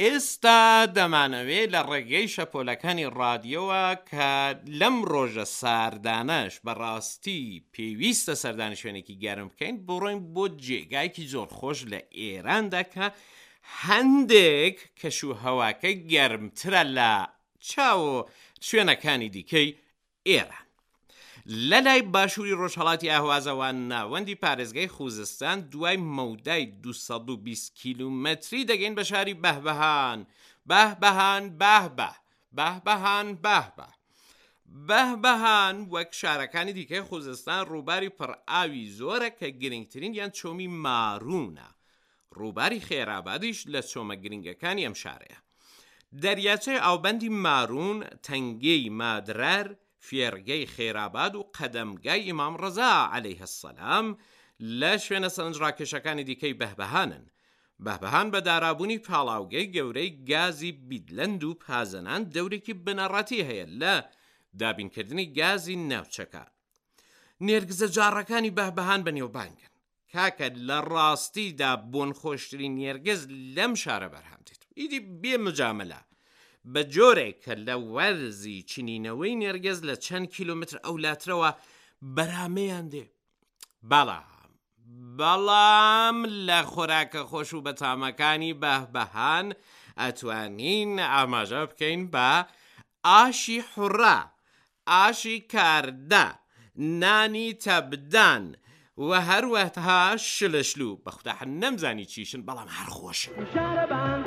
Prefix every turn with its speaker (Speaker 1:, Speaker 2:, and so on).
Speaker 1: ئێستا دەمانەوێ لە ڕێگەی شەپۆلەکانی ڕادیۆوە کە لەم ڕۆژە ساردانەش بە ڕاستی پێویستە سەردانی شوێنێکی گەرم بکەین بڕۆین بۆ جێگایەکی زۆر خۆش لە ئێراندا کە هەندێک کەش و هەواکەی گەرمترە لە چاو شوێنەکانی دیکەی ئێران. لە لای باشووری ڕۆژهەڵاتی ئەهوازەوە ناوەندی پارێزگای خوزستان دوای مەودای 220 کیلومەتری دەگەین بە شاری بەهبەهان بەهبەهان بەهبە بەهبەهان بەهبە بەهبەهان وەک شارەکانی دیکەی خوزستان ڕووباری پڕ ئاوی زۆرە کە گرنگترینیان چۆمی ماروونە ڕووباری خێرئابادیش لە چۆمە گرنگەکانی ئەم شارەیە. دەریاچەی ئاوبەندی ماروون، تەنگەی مادرەر، فێرگەی خێرئاباد و قەدەمگای ئیمام ڕەزا، علیە السلام، لە شوێنە سەرنجڕاکێشەکانی دیکەی بەهبەهانن. بەهبەهان بە دارابوونی پاڵاوگەی گەورەی گازی بیدلەند و پازەنان دەورێکی بنەڕەتی هەیە لە دابینکردنی گازی ناوچەکە. نێرگزە جاڕەکانی بەهبەهان بەنێوبانگن. کاکە لە ڕاستیدا بۆنخۆشترین نێرگز لەم شارە بەرهەم دێت ئیدی بێ مجاملە بە جۆرێک کە لە وەرزی چنینەوەی نێرگز لە چەند کیلۆمەتر ئەولاترەوە بەرامەیان دێ بەڵام بەڵام لە خۆراکە خۆش و بەتامەکانی بەهبەهان ئەتوانین ئاماژە بکەین بە ئاشی حوڕە، ئاشی کاردە، نانی تەبدان و هەروەها شلەشلو، بەخودا هەر نەمزانی چیشن بەڵام هەر خۆشن.